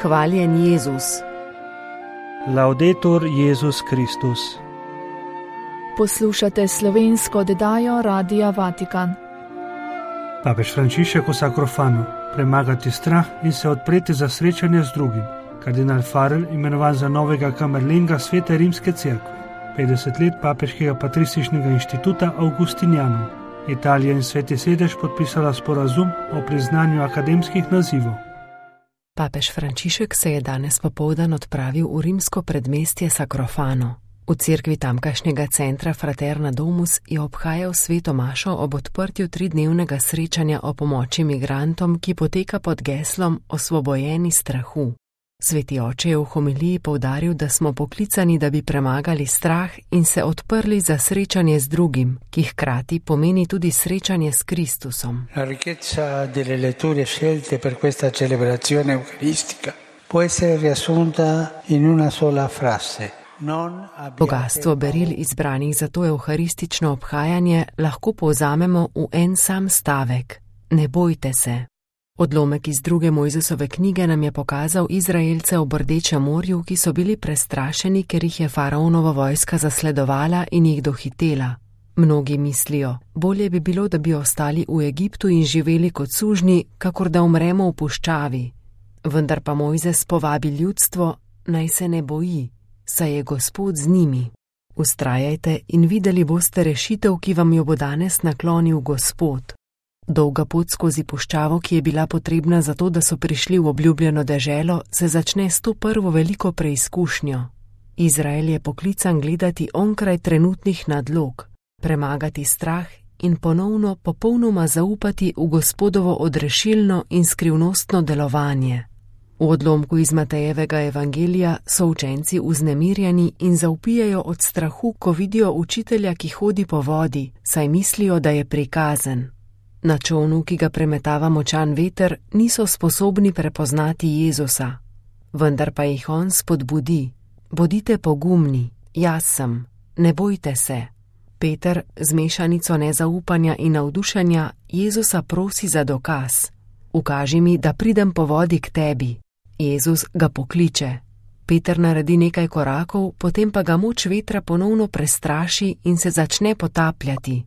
Hvaljen Jezus. Laudetur Jezus Kristus. Poslušate slovensko oddajo Radia Vatikan. Papež Frančišek o sakrofanu, premagati strah in se odpreti za srečanje z drugim. Kardinal Farel imenovan za novega kamerlenga Svete rimske cerkve. 50 let papeškega patrističnega inštituta Augustinijanov. Italija in Sveti sedež podpisala sporazum o priznanju akademskih nazivov. Papež Frančišek se je danes popoldan odpravil v rimsko predmestje Sacrofano. V cerkvi tamkajšnjega centra Fraterna Domus je obhajal sveto mašo ob odprtju 3-dnevnega srečanja o pomoči migrantom, ki poteka pod geslom Osvobojeni strahu. Sveti oče je v homiliji poudaril, da smo poklicani, da bi premagali strah in se odprli za srečanje z drugim, ki hkrati pomeni tudi srečanje s Kristusom. La ricchezza delle letture scelte per questa celebrazione eucaristica può essere riassunta in una sola frase. Bogastvo beril izbranih za to evharistično obhajanje lahko povzamemo v en sam stavek: ne bojte se. Odlomek iz 2. Mojzesove knjige nam je pokazal Izraelce ob Rdečem morju, ki so bili prestrašeni, ker jih je faraonova vojska zasledovala in jih dohitela. Mnogi mislijo, bolje bi bilo, da bi ostali v Egiptu in živeli kot sužnji, kakor da umremo v puščavi. Vendar pa Mojzes povabi ljudstvo, naj se ne boji, saj je Gospod z njimi. Vztrajajte in videli boste rešitev, ki vam jo bo danes naklonil Gospod. Dolga pot skozi puščavo, ki je bila potrebna za to, da so prišli v obljubljeno deželo, se začne s to prvo veliko preizkušnjo. Izrael je poklican gledati onkraj trenutnih nadlog, premagati strah in ponovno popolnoma zaupati v Gospodovo odrešilno in skrivnostno delovanje. V odlomku iz Matejevega evangelija so učenci vznemirjeni in zavpijajo od strahu, ko vidijo učitelja, ki hodi po vodi, saj mislijo, da je prikazen. Na čolnu, ki ga premetava močan veter, niso sposobni prepoznati Jezusa. Vendar pa jih on spodbudi: bodite pogumni, jaz sem, ne bojte se. Peter z mešanico nezaupanja in navdušenja Jezusa prosi za dokaz: ukaži mi, da pridem po vodi k tebi. Jezus ga pokliče. Peter naredi nekaj korakov, potem pa ga moč vetra ponovno prestraši in se začne potapljati.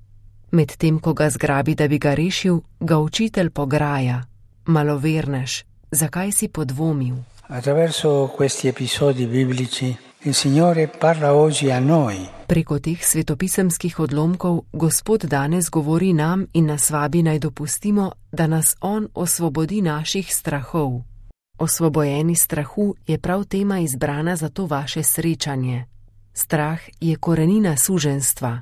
Medtem ko ga zgrabi, da bi ga rešil, ga učitelj pograja: malovernež, zakaj si podvomil? Attraverso questi episodi biblici il Signore parla oggi a noi. Preko teh svetopisemskih odlomkov Gospod danes govori nam in nas vabi, naj dopustimo, da nas on osvobodi naših strahov. Osvobojeni strahu je prav tema izbrana za to vaše srečanje. Strah je korenina suženjstva.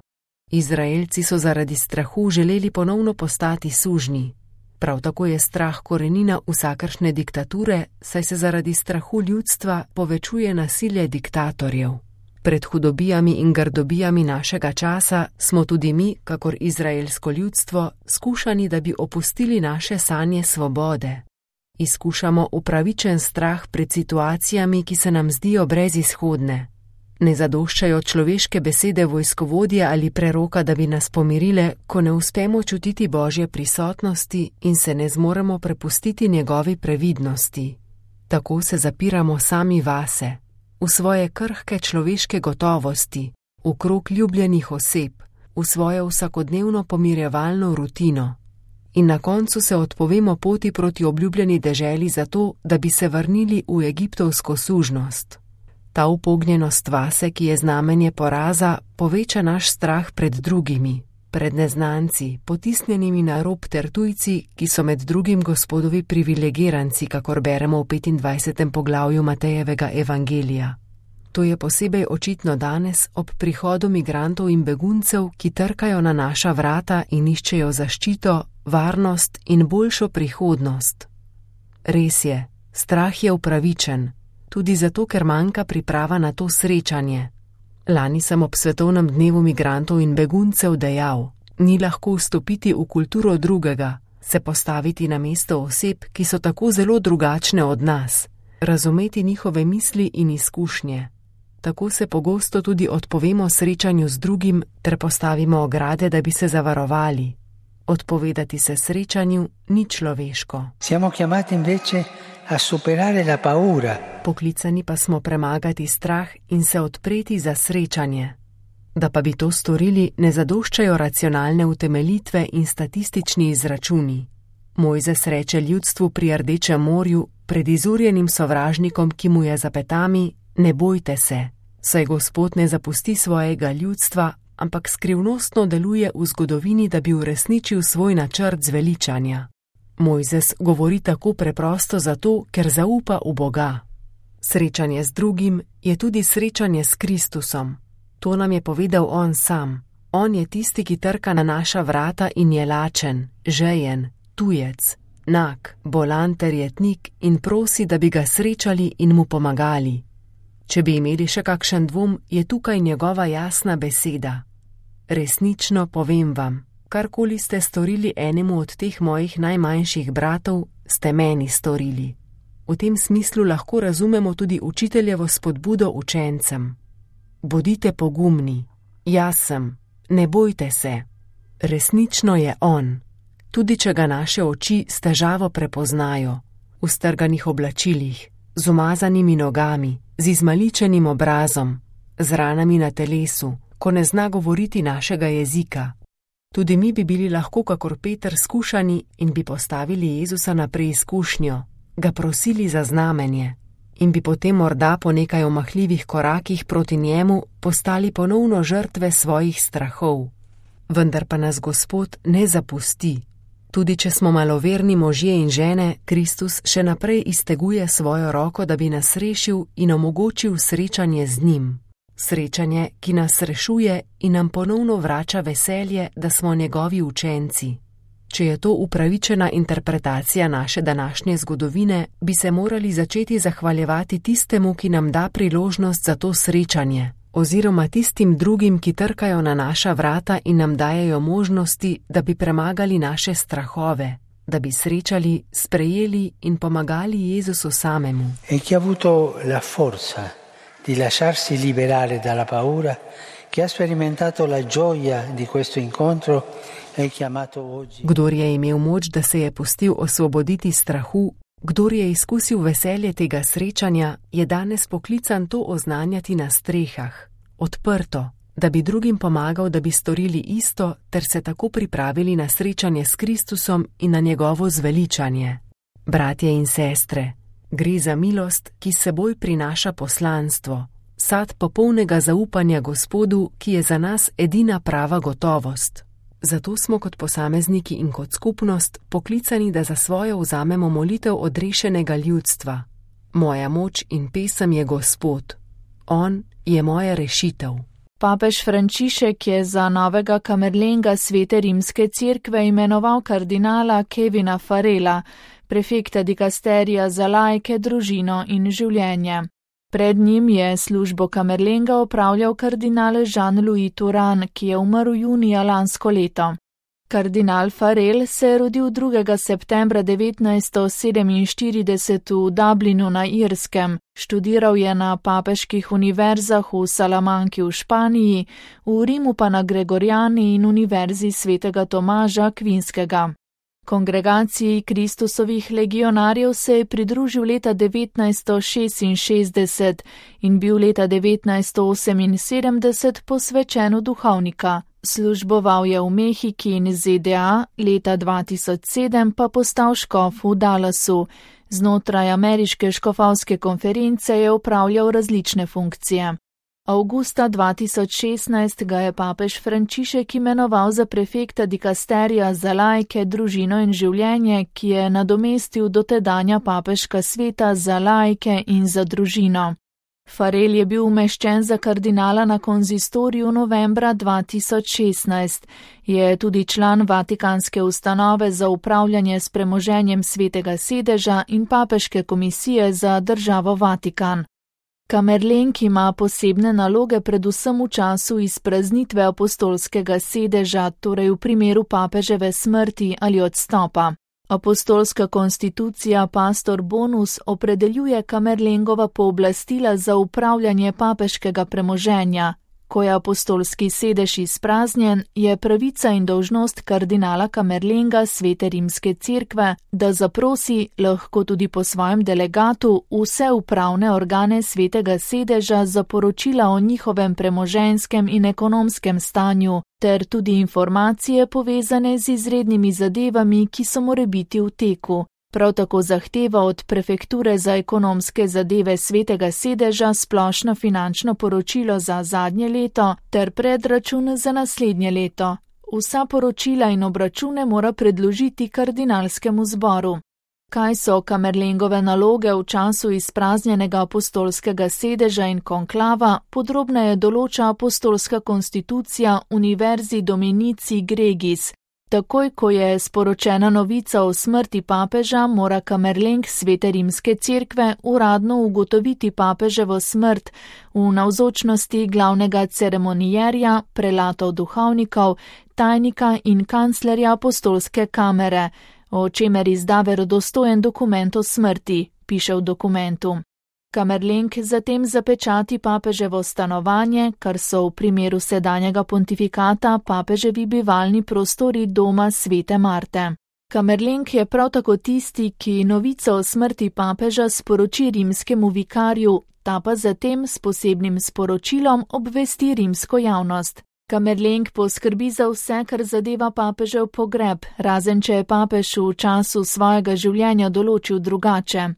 Izraelci so zaradi strahu želeli ponovno postati sužnji. Prav tako je strah korenina vsakršne diktature, saj se zaradi strahu ljudstva povečuje nasilje diktatorjev. Pred hudobijami in grdobijami našega časa smo tudi mi, kakor izraelsko ljudstvo, skušani, da bi opustili naše sanje svobode. Izkušamo upravičen strah pred situacijami, ki se nam zdijo brezizhodne. Ne zadoščajo človeške besede vojskovodje ali preroka, da bi nas pomirile, ko ne uspemo čutiti Božje prisotnosti in se ne zmoremo prepustiti njegovi previdnosti. Tako se zapiramo sami vase, v svoje krhke človeške gotovosti, v krog ljubljenih oseb, v svojo vsakodnevno pomirjevalno rutino. In na koncu se odpovemo poti proti obljubljeni deželi zato, da bi se vrnili v egiptovsko sužnost. Ta upognjenost vase, ki je znamenje poraza, poveča naš strah pred drugimi, pred neznanci, potisnjenimi na rob ter tujci, ki so med drugim Gospodovi privilegiranci, kakor beremo v 25. poglavju Matejevega evangelija. To je posebej očitno danes ob prihodu migrantov in beguncev, ki trkajo na naša vrata in iščejo zaščito, varnost in boljšo prihodnost. Res je, strah je upravičen, tudi zato, ker manjka priprava na to srečanje. Lani sem ob svetovnem dnevu migrantov in beguncev dejal: ni lahko vstopiti v kulturo drugega, se postaviti na mesto oseb, ki so tako zelo drugačne od nas, razumeti njihove misli in izkušnje. Tako se pogosto tudi odpovemo srečanju z drugim ter postavimo ograde, da bi se zavarovali. Odpovedati se srečanju ni človeško. Siamo chiamati invece a superare la paura. Poklicani pa smo premagati strah in se odpreti za srečanje. Da pa bi to storili, ne zadoščajo racionalne utemeljitve in statistični izračuni. Mojzes reče ljudstvu pri Rdečem morju, pred izurjenim sovražnikom, ki mu je za petami: ne bojte se, saj Gospod ne zapusti svojega ljudstva, ampak skrivnostno deluje v zgodovini, da bi uresničil svoj načrt zveličanja. Mojzes govori tako preprosto zato, ker zaupa v Boga. Srečanje z drugim je tudi srečanje s Kristusom. To nam je povedal on sam. On je tisti, ki trka na naša vrata in je lačen, žejen, tujec, nag, bolan ter jetnik in prosi, da bi ga srečali in mu pomagali. Če bi imeli še kakšen dvom, je tukaj njegova jasna beseda. Resnično povem vam, karkoli ste storili enemu od teh mojih najmanjših bratov, ste meni storili. V tem smislu lahko razumemo tudi učiteljevo spodbudo učencem. Bodite pogumni, jaz sem, ne bojte se. Resnično je on, tudi če ga naše oči s težavo prepoznajo, v strganih oblačilih, z umazanimi nogami, z izmaličenim obrazom, z ranami na telesu, ko ne zna govoriti našega jezika. Tudi mi bi bili lahko kakor Peter skušani in bi postavili Jezusa na preizkušnjo, ga prosili za znamenje in bi potem morda po nekaj omahljivih korakih proti njemu postali ponovno žrtve svojih strahov. Vendar pa nas Gospod ne zapusti. Tudi če smo maloverni možje in žene, Kristus še naprej izteguje svojo roko, da bi nas rešil in omogočil srečanje z njim. Srečanje, ki nas rešuje in nam ponovno vrača veselje, da smo njegovi učenci. Če je to upravičena interpretacija naše današnje zgodovine, bi se morali začeti zahvaljevati tistemu, ki nam da priložnost za to srečanje, oziroma tistim drugim, ki trkajo na naša vrata in nam dajejo možnosti, da bi premagali naše strahove, da bi srečali, sprejeli in pomagali Jezusu samemu. E chi ha avuto la forza di lasciarsi liberare dalla paura, che ha sperimentato la gioia di questo incontro, è chiamato oggi. Kdor je imel moč, da se je pustil osvoboditi strahu, kdor je izkusil veselje tega srečanja, je danes poklican to oznanjati na strehah, odprto, da bi drugim pomagal, da bi storili isto, ter se tako pripravili na srečanje s Kristusom in na njegovo zveličanje. Bratje in sestre, gre za milost, ki s seboj prinaša poslanstvo, sad popolnega zaupanja Gospodu, ki je za nas edina prava gotovost. Zato smo kot posamezniki in kot skupnost poklicani, da za svojo vzamemo molitev odrešenega ljudstva. Moja moč in pesem je Gospod. On je moja rešitev. Papež Frančišek je za novega kamerlenga Svete rimske cerkve imenoval kardinala Kevina Farrella, prefekta dikasterija za laike, družino in življenje. Pred njim je službo kamerlenga opravljal kardinal Jean-Louis Turhan, ki je umrl junija lansko leto. Kardinal Farrell se je rodil 2. septembra 1947 v Dublinu na Irskem. Študiral je na papeških univerzah v Salamanki v Španiji, v Rimu pa na Gregoriani in Univerzi svetega Tomaža Akvinskega. Kongregaciji Kristusovih legionarjev se je pridružil leta 1966 in bil leta 1978 posvečen v duhovnika. Služboval je v Mehiki in ZDA, leta 2007 pa postal škof v Dallasu. Znotraj ameriške škofovske konference je opravljal različne funkcije. Avgusta 2016 ga je papež Frančišek imenoval za prefekta dikasterija za laike, družino in življenje, ki je nadomestil dotedanja papeška sveta za laike in za družino. Farrell je bil umeščen za kardinala na konzistoriju novembra 2016. Je tudi član Vatikanske ustanove za upravljanje s premoženjem Svetega sedeža in papeške komisije za državo Vatikan. Kamerlenk ima posebne naloge predvsem v času izpraznitve apostolskega sedeža, torej v primeru papeževe smrti ali odstopa. Apostolska konstitucija Pastor Bonus opredeljuje kamerlengova pooblastila za upravljanje papeškega premoženja. ko je apostolski sedež izpraznjen, je pravica in dolžnost kardinala Kamerlenga Svete rimske cerkve, da zaprosi, lahko tudi po svojem delegatu, vse upravne organe svetega sedeža za poročila o njihovem premoženjskem in ekonomskem stanju, ter tudi informacije povezane z izrednimi zadevami, ki so morebiti v teku. Prav tako zahteva od prefekture za ekonomske zadeve svetega sedeža splošno finančno poročilo za zadnje leto ter predračun za naslednje leto. Vsa poročila in obračune mora predložiti kardinalskemu zboru. Kaj so Kamerlengove naloge v času izpraznjenega apostolskega sedeža in konklava, podrobneje določa apostolska konstitucija Univerzi Dominici Gregis. Takoj, ko je sporočena novica o smrti papeža, mora Kamerleng Svete rimske cerkve uradno ugotoviti papeževo smrt v navzočnosti glavnega ceremonijerja, prelatov duhovnikov, tajnika in kanclerja apostolske kamere, o čemer izda verodostojen dokument o smrti, piše v dokumentu. Kamerleng zatem zapečati papeževo stanovanje, kar so v primeru sedanjega pontifikata papeževi bivalni prostori doma Svete Marte. Kamerleng je prav tako tisti, ki novico o smrti papeža sporoči rimskemu vikarju, ta pa zatem s posebnim sporočilom obvesti rimsko javnost. Kamerleng poskrbi za vse, kar zadeva papežev pogreb, razen če je papež v času svojega življenja določil drugače.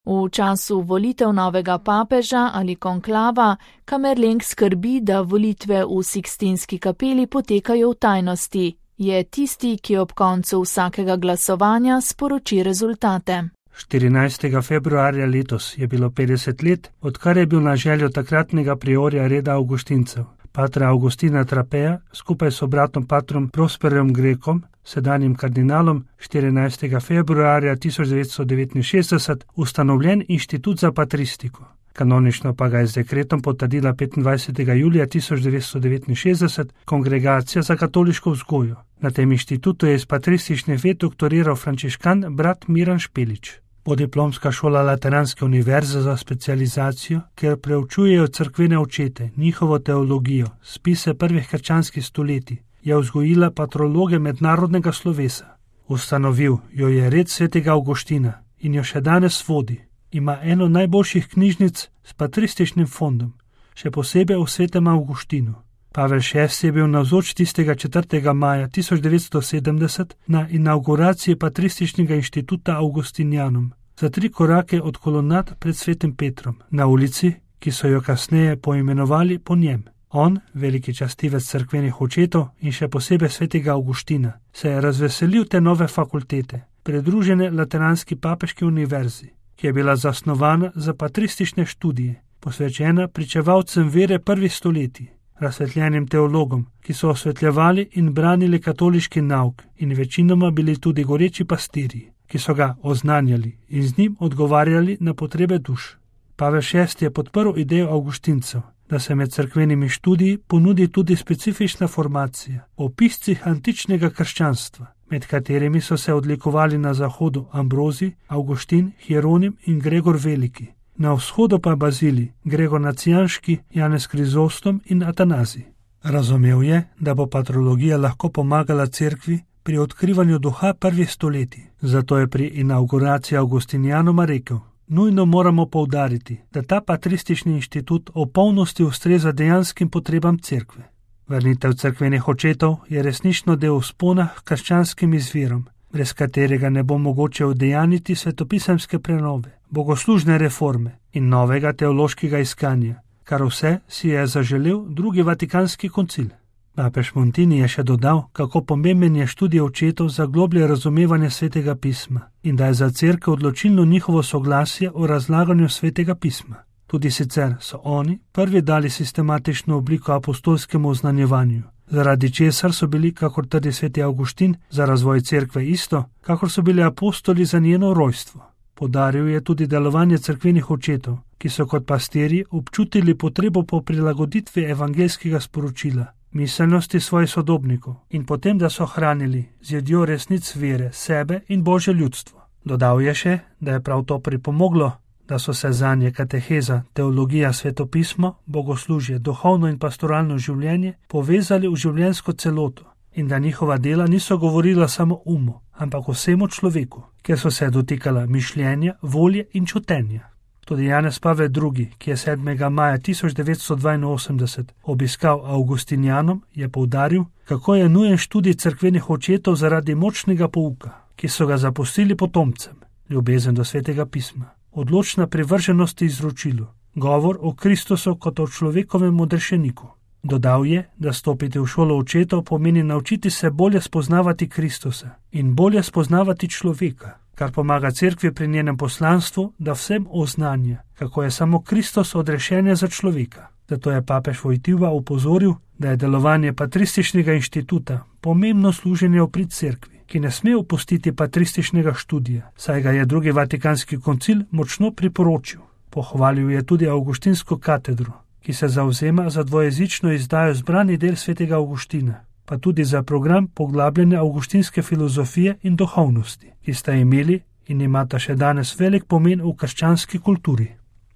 V času volitev novega papeža ali konklava Kamerleng skrbi, da volitve v Sikstinski kapeli potekajo v tajnosti. Je tisti, ki ob koncu vsakega glasovanja sporoči rezultate. 14. februarja letos je bilo 50 let, odkar je bil na željo takratnega priorja reda Avgustincev, patra Augustina Trapeja, skupaj s bratom patrom Prosperom Grekom, sedanjim kardinalom, 14. februarja 1969 ustanovljen inštitut za patristiko. Kanonično pa ga je z dekretom potrdila 25. julija 1969 Kongregacija za katoliško vzgojo. Na tem inštitutu je iz patristične ve doktoriral frančiškan brat Miran Špelič. Podiplomska šola Lateranske univerze za specializacijo, kjer preučujejo cerkvene očete, njihovo teologijo, spise prvih krščanskih stoletij, je vzgojila patrologe mednarodnega slovesa. Ustanovil jo je red svetega Avguština in jo še danes vodi. Ima eno najboljših knjižnic s patrističnim fondom, še posebej o svetem Avguštinu. Pavel VI je bil navzoč tistega 4. maja 1970 na inauguraciji patrističnega inštituta Augustinianum, za 3 korake od kolonad pred svetim Petrom, na ulici, ki so jo kasneje poimenovali po njem. On, veliki častivec cerkvenih očetov in še posebej svetega Avguština, se je razveselil te nove fakultete, pridružene Lateranski papeški univerzi, ki je bila zasnovana za patristične študije, posvečena pričevalcem vere prvih stoletij, razsvetljenim teologom, ki so osvetljevali in branili katoliški nauk in večinoma bili tudi goreči pastirji, ki so ga oznanjali in z njim odgovarjali na potrebe duš. Pavel VI je podprl idejo Avguštincev, da se med cerkvenimi študiji ponudi tudi specifična formacija o piscih antičnega krščanstva, med katerimi so se odlikovali na zahodu Ambrozij, Avguštin, Hieronim in Gregor Veliki, na vzhodu pa Bazilij, Gregor Nacijanški, Janez Krizostom in Atanazij. Razumel je, da bo patrologija lahko pomagala cerkvi pri odkrivanju duha prvih stoletij, zato je pri inauguraciji Avgustinianuma rekel: nujno moramo poudariti, da ta patristični inštitut v polnosti ustreza dejanskim potrebam cerkve. Vrnitev cerkvenih očetov je resnično del vzpona k krščanskim izvirom, brez katerega ne bo mogoče udejaniti svetopisemske prenove, bogoslužne reforme in novega teološkega iskanja, kar vse si je zaželel drugi vatikanski koncil. Papež Montini je še dodal, kako pomemben je študij očetov za globlje razumevanje svetega pisma in da je za cerkev odločilno njihovo soglasje o razlaganju svetega pisma. Tudi sicer so oni prvi dali sistematično obliko apostolskemu oznanjevanju, zaradi česar so bili, kakor trdi sveti Avguštin, za razvoj cerkve isto, kakor so bili apostoli za njeno rojstvo. Podaril je tudi delovanje cerkvenih očetov, ki so kot pastirji občutili potrebo po prilagoditvi evangeljskega sporočila, miselnosti svojih sodobnikov in potem, da so hranili z jedjo resnic vere sebe in Božje ljudstvo. Dodal je še, da je prav to pripomoglo, da so se zanje kateheza, teologija, svetopismo, bogoslužje, duhovno in pastoralno življenje povezali v življenjsko celoto in da njihova dela niso govorila samo umu, ampak vsemu človeku, ker so se dotikala mišljenja, volje in čutenja. Tudi Janez Pavel II., ki je 7. maja 1982 obiskal Augustinijanom, je poudaril, kako je nujen študij cerkvenih očetov zaradi močnega pouka, ki so ga zapustili potomcem, ljubezen do svetega pisma, odločna privrženost izročilu, govor o Kristusu kot o človekovem odrešeniku. Dodal je, da stopiti v šolo očetov pomeni naučiti se bolje spoznavati Kristusa in bolje spoznavati človeka, kar pomaga cerkvi pri njenem poslanstvu, da vsem oznanja, kako je samo Kristus odrešenje za človeka. Zato je papež Wojtyła opozoril, da je delovanje patrističnega inštituta pomembno služenje v prid cerkvi, ki ne sme opustiti patrističnega študija, saj ga je drugi Vatikanski koncil močno priporočil. Pohvalil je tudi Avgustinsko katedro, ki se zavzema za dvojezično izdajo zbrani del svetega Avgustina, pa tudi za program poglabljanja avgustinske filozofije in duhovnosti, ki sta imeli in imata še danes velik pomen v krščanski kulturi.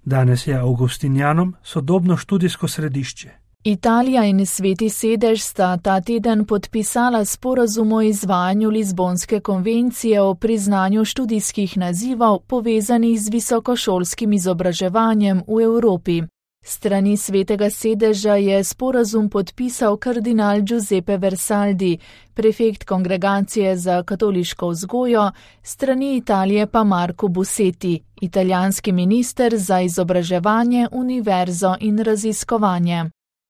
Danes je Augustinijanom sodobno študijsko središče. Italija in Sveti sedež sta ta teden podpisala sporazum o izvajanju Lizbonske konvencije o priznanju študijskih nazivov povezanih z visokošolskim izobraževanjem v Evropi. Strani Svetega sedeža je sporazum podpisal kardinal Giuseppe Versaldi, prefekt Kongregacije za katoliško vzgojo, strani Italije pa Marco Bussetti, italijanski minister za izobraževanje, univerzo in raziskovanje.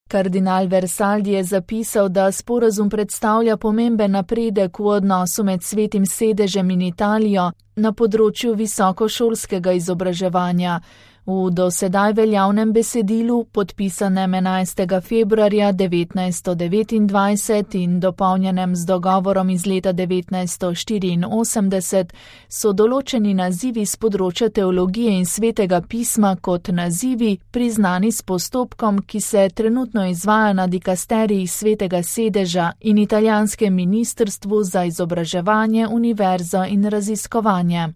Kardinal Versaldi je zapisal, da sporazum predstavlja pomemben napredek v odnosu med Svetim sedežem in Italijo na področju visokošolskega izobraževanja. V do sedaj veljavnem besedilu, podpisanem 11. februarja 1929 in dopolnjenem z dogovorom iz leta 1984, so določeni nazivi z področja teologije in svetega pisma kot nazivi priznani s postopkom, ki se trenutno izvaja na dikasteriji Svetega sedeža in italijanskem ministrstvu za izobraževanje, univerzo in raziskovanje.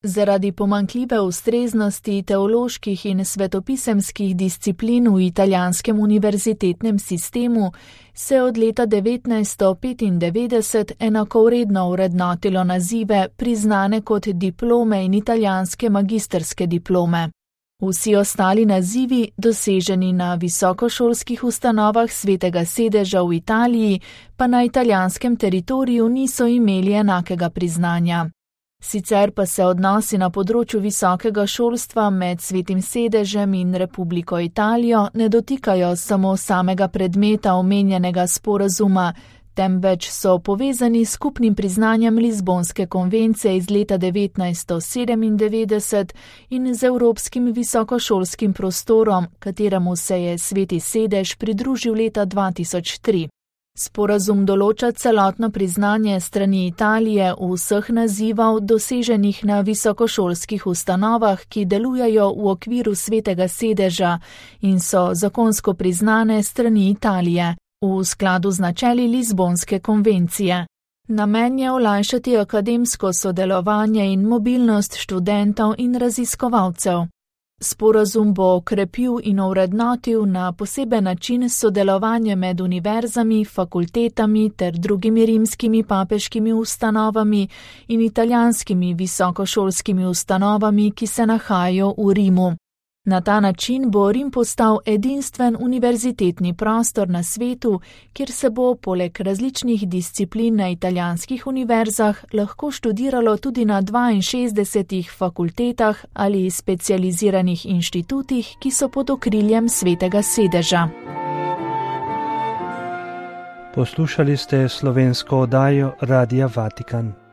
Zaradi pomanjkljive ustreznosti teoloških in svetopisemskih disciplin v italijanskem univerzitetnem sistemu se od leta 1995 enakovredno vrednotilo nazive priznane kot diplome in italijanske magistrske diplome. Vsi ostali nazivi, doseženi na visokošolskih ustanovah Svetega sedeža v Italiji, pa na italijanskem teritoriju niso imeli enakega priznanja. Sicer pa se odnosi na področju visokega šolstva med Svetim sedežem in Republiko Italijo ne dotikajo samo samega predmeta omenjenega sporazuma, temveč so povezani s skupnim priznanjem Lizbonske konvencije iz leta 1997 in z evropskim visokošolskim prostorom, kateremu se je Sveti sedež pridružil leta 2003. Sporazum določa celotno priznanje strani Italije vseh nazivov doseženih na visokošolskih ustanovah, ki delujejo v okviru Svetega sedeža in so zakonsko priznane strani Italije, v skladu z načeli Lizbonske konvencije. Namen je olajšati akademsko sodelovanje in mobilnost študentov in raziskovalcev. Sporazum bo okrepil in ovrednotil na poseben način sodelovanje med univerzami, fakultetami ter drugimi rimskimi papeškimi ustanovami in italijanskimi visokošolskimi ustanovami, ki se nahajajo v Rimu. Na ta način bo Rim postal edinstven univerzitetni prostor na svetu, kjer se bo poleg različnih disciplin na italijanskih univerzah lahko študiralo tudi na 62 fakultetah ali specializiranih inštitutih, ki so pod okriljem Svetega sedeža. Poslušali ste slovensko oddajo Radia Vatikan.